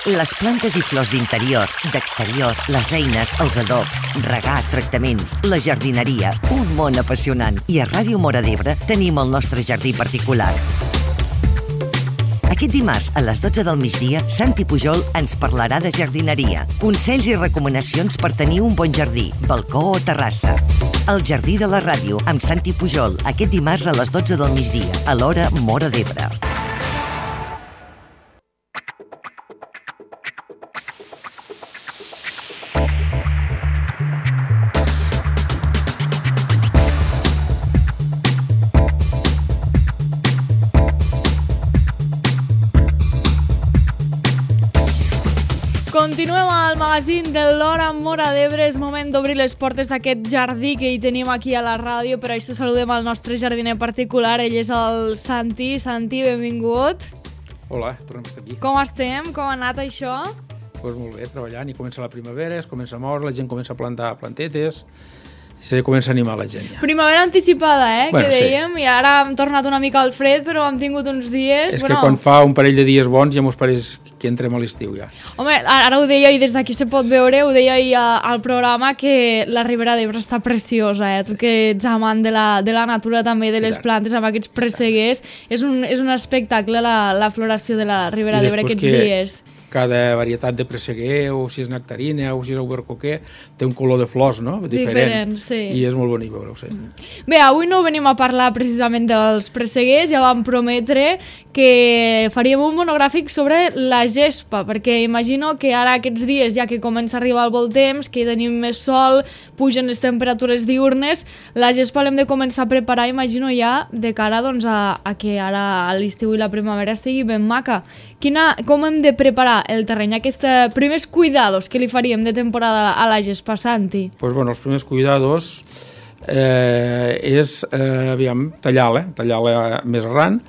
Les plantes i flors d'interior, d'exterior, les eines, els adobs, regar, tractaments, la jardineria, un món apassionant. I a Ràdio Móra d'Ebre tenim el nostre jardí particular. Aquest dimarts, a les 12 del migdia, Santi Pujol ens parlarà de jardineria, consells i recomanacions per tenir un bon jardí, balcó o terrassa. El Jardí de la Ràdio, amb Santi Pujol, aquest dimarts a les 12 del migdia, a l'hora Móra d'Ebre. Continuem al magazín de l'Hora Móra d'Ebre. És moment d'obrir les portes d'aquest jardí que hi tenim aquí a la ràdio. Per això saludem al nostre jardiner particular. Ell és el Santi. Santi, benvingut. Hola, tornem a estar aquí. Com estem? Com ha anat això? Doncs molt bé, treballant. I comença la primavera, es comença a moure, la gent comença a plantar plantetes, se comença a animar la gent ja. Primavera anticipada, Bueno, que dèiem, sí. I ara hem tornat una mica al fred, però hem tingut uns dies... És que quan fa un parell de dies bons ja mos pareix que entrem a l'estiu ja. Home, ara ho deia i des d'aquí se pot veure, ho deia ahir al programa, que la Ribera d'Ebre està preciosa, Tu que ets amant de la natura també, de les plantes, amb aquests presseguers, és un espectacle la floració de la Ribera d'Ebre aquests dies. Cada varietat de presseguer, o si és nectarina, o si és albercoquer, té un color de flors, no? Diferent, sí. I és molt bonic veure-ho, sí. Bé, avui no venim a parlar precisament dels presseguers, ja vam prometre que faríem un monogràfic sobre la gespa, perquè imagino que ara aquests dies, ja que comença a arribar el bon temps, que tenim més sol, pugen les temperatures diurnes, la gespa l'hem de començar a preparar, imagino ja, de cara doncs, a que ara l'estiu i la primavera estigui ben maca. Com hem de preparar el terreny, aquests primers cuidados que li faríem de temporada a la gespa, Santi? Pues bueno, els primers cuidados és tallar-la més arran.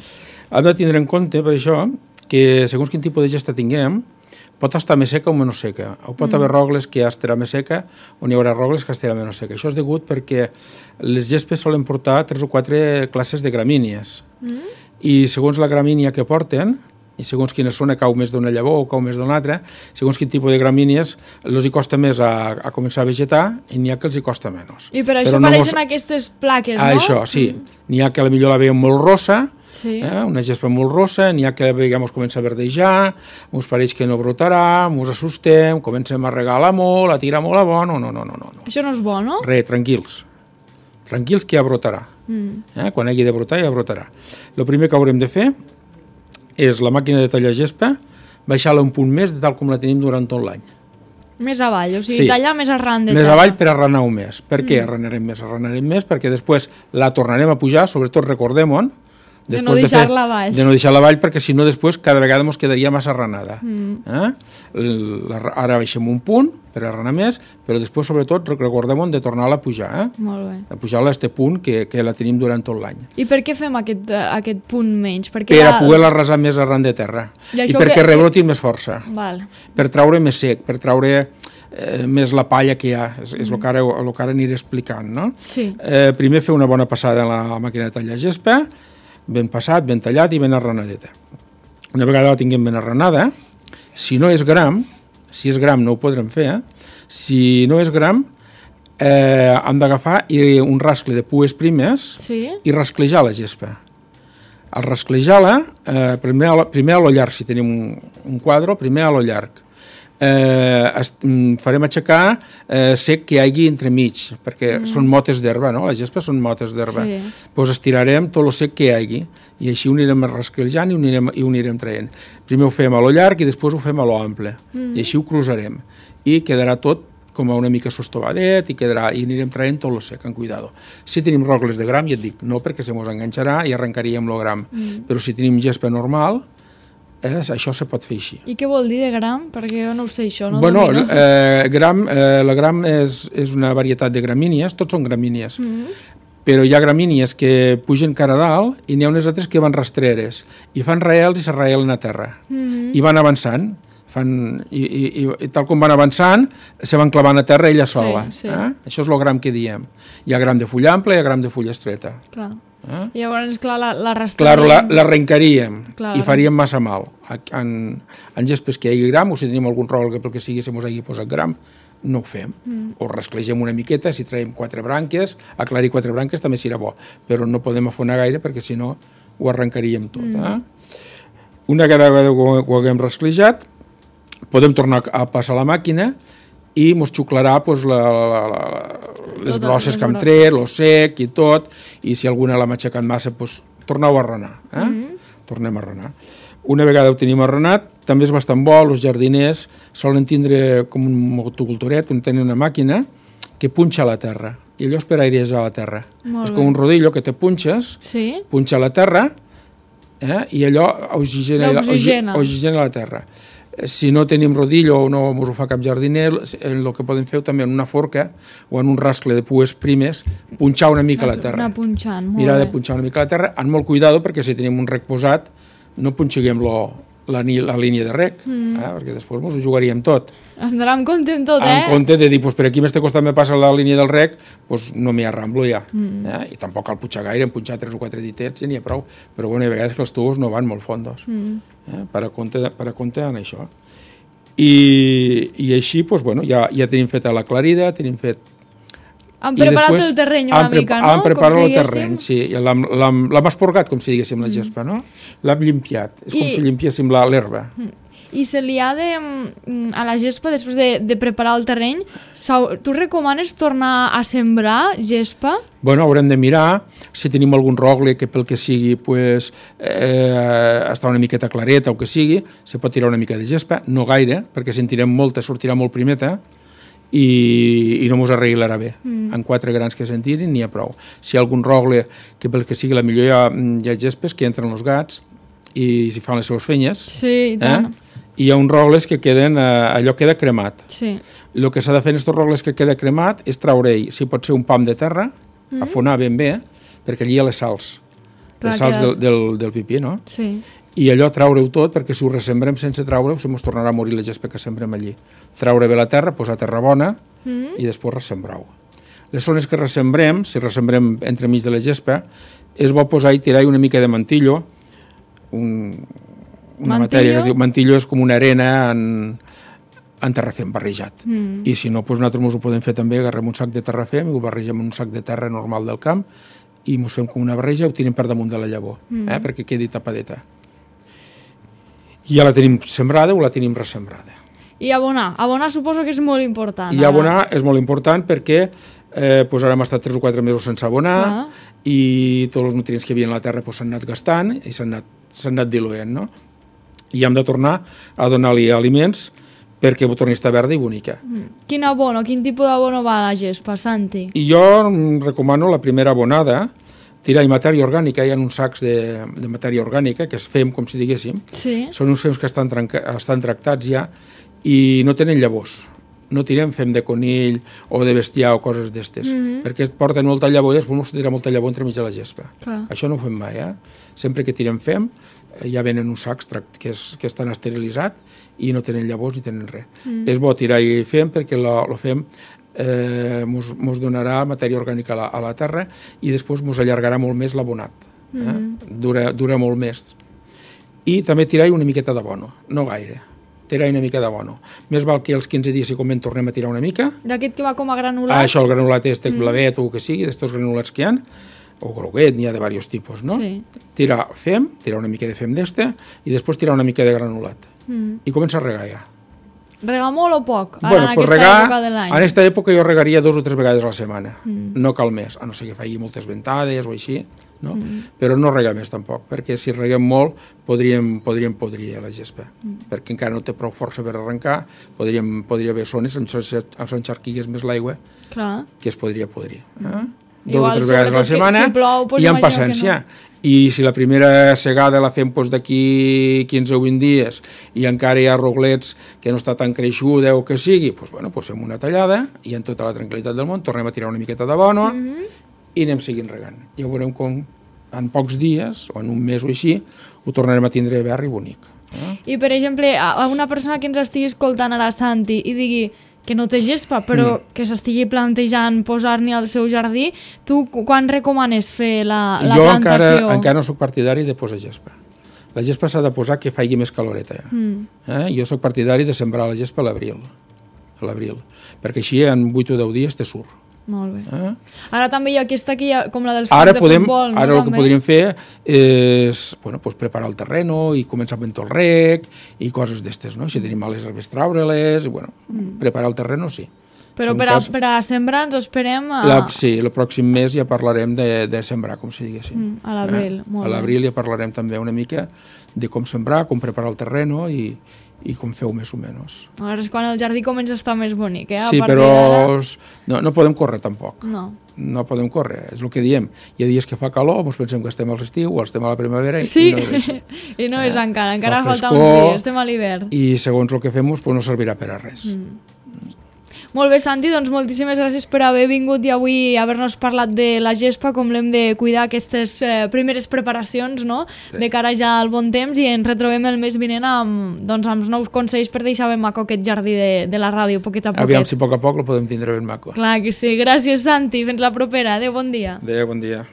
Hem de tindre en compte, per això, que segons quin tipus de gesta tinguem, pot estar més seca o menys seca. O pot haver rogles que estarà més seca o n'hi haurà rogles que estarà menys seca. Això és degut perquè les gespes solen portar 3 o 4 classes de gramínies. I segons la gramínia que porten, i segons quina zona cau més d'una llavor o cau més d'una altra, segons quin tipus de gramínies els hi costa més a començar a vegetar i n'hi ha que els hi costa menys. I per això apareixen aquestes plaques, no? Això, sí. N'hi ha que potser la veiem molt rossa, una gespa molt rossa, n'hi ha que veiem comença a verdejar, ens pareix que no brotarà, ens assustem, comencem a regar-la molt, a tirar molt a bo, no. Això no és bo, no? Tranquils. Tranquils que ja brotarà. Quan hagi de brotar, ja brotarà. El primer que haurem de fer és la màquina de tallar gespa, baixar-la un punt més de tal com la tenim durant tot l'any. Més avall, o sigui, tallar més arran de terra. Més avall per arranar-ho més. Per què arranarem més? Arranarem més perquè després la tornarem a pujar, sobretot recordem-ho, de no deixar-la avall. De no deixar-la avall, perquè si no després cada vegada ens quedaria massa arranada. Ara baixem un punt per arranar més, però després sobretot recordem de tornar-la a pujar. Molt bé. A pujar-la a aquest punt que la tenim durant tot l'any. I per què fem aquest punt menys? Per a poder-la arrasar més arran de terra. I perquè rebroti més força. Per traure més sec, per traure més la palla que hi ha. És el que ara aniré explicant, no? Sí. Primer fer una bona passada a la màquina de tallar gespa, ben passat, ben tallat i ben arranadeta. Una vegada la tinguem ben arranada, si no és gram, si és gram no ho podrem fer, si no és gram, hem d'agafar un rascle de pues primes i rasclejar la gespa. Al rasclejar-la, primer a lo llarg, si tenim un quadre, primer a lo llarg. Farem aixecar sec que hi hagi entremig, perquè són motes d'herba, no? Les gespes són motes d'herba. Doncs estirarem tot el sec que hi hagi i així ho anirem rasclejant i ho anirem traient. Primer ho fem a lo llarg i després ho fem a lo ample i així ho cruzarem i quedarà tot com una mica sostovadet i anirem traient tot el sec, amb cuidado. Si tenim rogles de gram, ja et dic, no perquè se mos enganxarà i arrencaríem el gram, però si tenim gespa normal, això se pot fer així. I què vol dir de gram? Perquè jo no ho sé, això. Bueno, la gram és una varietat de gramínies, tots són gramínies, però hi ha gramínies que pugen cara a dalt i n'hi ha unes altres que van rastreres i fan raels i s'arraelen a terra i van avançant. I tal com van avançant se van clavant a terra ella sola. Això és el gram que diem. Hi ha gram de fulla ampla i hi ha gram de fulla estreta. Llavors, clar, l'arrestaríem. Clar, l'arrencaríem i faríem massa mal. En gespes que hi hagi gram, o si tenim algun rol que pel que sigui se mos hagi posat gram, no ho fem. O rasclegem una miqueta, si traiem 4 branques, aclarir 4 branques també serà bo, però no podem afonar gaire perquè si no ho arrencaríem tot. Una vegada ho haguem rasclejat, podem tornar a passar a la màquina i mos xuclarà les brosses que hem tret, el sec i tot, i si alguna l'ha matxacat massa, torneu a arrenar. Tornem a arrenar. Una vegada ho tenim arrenat, també és bastant bo, els jardiners solen tindre com un motocultoret, on tenen una màquina que punxa a la terra, i allò és per airejar la terra. És com un rodillo que te punxes, punxa a la terra, i allò oxigena la terra. Si no tenim rodillo o no ens ho fa cap jardiner, el que podem fer també en una forca o en un rascle de pues primes, punxar una mica la terra. Mirar de punxar una mica la terra, amb molt cuidado, perquè si tenim un rec posat, no punxiguem la línia de rec, perquè després ens ho jugaríem tot. Hem d'anar amb compte en tot, En compte de dir, per aquí a este costat me passa la línia del rec, no m'hi arramblo ja. I tampoc cal punxar gaire, en punxar 3 o 4 ditets ja n'hi ha prou, però a vegades que els tubos no van molt fondos. Per a compte en això. I així, ja tenim feta l'aclarida, tenim fet... Han preparat el terreny una mica, no? Han preparat el terreny, sí. L'hem esporgat, com si diguéssim, la gespa, no? L'hem limpiat. És com si limpiéssim l'herba. I se li ha de, a la gespa, després de preparar el terreny, tu recomanes tornar a sembrar gespa? Haurem de mirar si tenim algun rogle que pel que sigui està una miqueta clareta o que sigui, se pot tirar una mica de gespa, no gaire, perquè si en tirem molta sortirà molt primeta, i no mos arreglarà bé. En 4 grans que se'n tirin n'hi ha prou. Si hi ha algun rogle que pel que sigui, la millor hi ha gespes que entren els gats i s'hi fan les seves fenyes. Sí, i tant. I hi ha uns rogles que queden, allò queda cremat. Sí. El que s'ha de fer en aquests rogles que queda cremat és treure-hi, si pot ser un pam de terra, afonar ben bé, perquè allí hi ha les sals. Les sals del pipí, no? Sí. I allò treure-ho tot, perquè si ho ressembrem sense treure-ho, se mos tornarà a morir la gespa que sembrem allí. Treure bé la terra, posar terra bona i després ressembrar-ho. Les zones que ressembrem, si ressembrem entremig de la gespa, és bo posar i tirar una mica de mantillo, una matèria que es diu mantillo, és com una arena en terrafem barrejat. I si no, nosaltres ens ho podem fer també, agarrem un sac de terrafem i ho barregem en un sac de terra normal del camp i ens fem com una barreja i ho tirem per damunt de la llavor, perquè quedi tapadeta. I ja la tenim sembrada o la tenim ressembrada. I abonar. Abonar suposo que és molt important. I abonar és molt important perquè ara hem estat 3 o 4 mesos sense abonar i tots els nutrients que hi havia en la terra s'han anat gastant i s'han anat diluent, no? I hem de tornar a donar-li aliments perquè ho torni a estar verda i bonica. Quin abono, quin tipus d'abono va a la gespa, Santi? I jo recomano la primera abonada, tirar-hi matèria orgànica, hi ha uns sacs de matèria orgànica, que es fem, com si diguéssim. Sí. Són uns fems que estan tractats ja i no tenen llavors. No tirem fem de conill o de bestiar o coses d'estes, perquè porten molta llavor i després no tira molta llavor entremig de la gespa. Això no ho fem mai, Sempre que tirem fem, ja venen uns sacs que estan esterilitzats i no tenen llavors ni tenen res. És bo tirar-hi fem perquè el fem mos donarà matèria orgànica a la terra i després mos allargarà molt més l'abonat. Dura molt més. I també tirar-hi una miqueta d'abono, no gaire. Tirar-hi una mica d'abono. Més val que els 15 dies, si convé, tornem a tirar una mica. D'aquest que va com a granulat? Això, el granulat blavet o el que sigui, d'estos granulats que hi ha, o groguet, n'hi ha de diversos tipus, no? Sí. Tirar una mica de fem d'este i després tirar una mica de granulat. I comença a regar ja. Regar molt o poc? En aquesta època jo regaria 2 o 3 vegades a la setmana. No cal més, a no ser que faci moltes ventades o així, no? Però no regar més tampoc, perquè si reguem molt podríem podrir la gespa, perquè encara no té prou força per arrencar, podria haver zones on s'encharquigués més l'aigua que es podria podrir. 2 o 3 vegades a la setmana i amb paciència. I si la primera segada la fem d'aquí 15 o 20 dies i encara hi ha roglets que no està tan creixuda o que sigui, fem una tallada i en tota la tranquil·litat del món tornem a tirar una miqueta d'abono i anem seguint regant. Ja veurem com en pocs dies o en un mes o així ho tornarem a tindre verd i bonic. I per exemple, a una persona que ens estigui escoltant ara, Santi, i digui que no té gespa, però que s'estigui plantejant posar-n'hi al seu jardí, tu quan recomanes fer la plantació? Jo encara no sóc partidari de posar gespa. La gespa s'ha de posar que faci més caloreta. Jo sóc partidari de sembrar la gespa a l'abril, perquè així en 8 o 10 dies te surt. Molt bé. Ara també hi ha aquesta que hi ha, com la dels camps de futbol. Ara el que podríem fer és preparar el terreno i començar amb el rec i coses d'estes, no? Si tenim males herbes, treure-les, preparar el terreno, sí. Però per a sembrar ens esperem Sí, el pròxim mes ja parlarem de sembrar, com si diguéssim. A l'abril, molt bé. A l'abril ja parlarem també una mica de com sembrar, com preparar el terreno i com feu més o menys. Ara és quan el jardí comença a estar més bonic, Sí, però no podem córrer tampoc. No podem córrer, és el que diem. Hi ha dies que fa calor, ens pensem que estem a l'estiu o estem a la primavera i no és així. I no és encara falta uns dies, estem a l'hivern. I segons el que fem no servirà per a res. Molt bé, Santi, doncs moltíssimes gràcies per haver vingut i avui haver-nos parlat de la gespa, com l'hem de cuidar, aquestes primeres preparacions, no? De cara ja al bon temps, i ens retrobem el mes vinent amb nous consells per deixar ben maco aquest jardí de la ràdio, poquet a poquet. Aviam si a poc el podem tindre ben maco. Clar que sí. Gràcies, Santi. Fins la propera. Adéu, bon dia. Adéu, bon dia.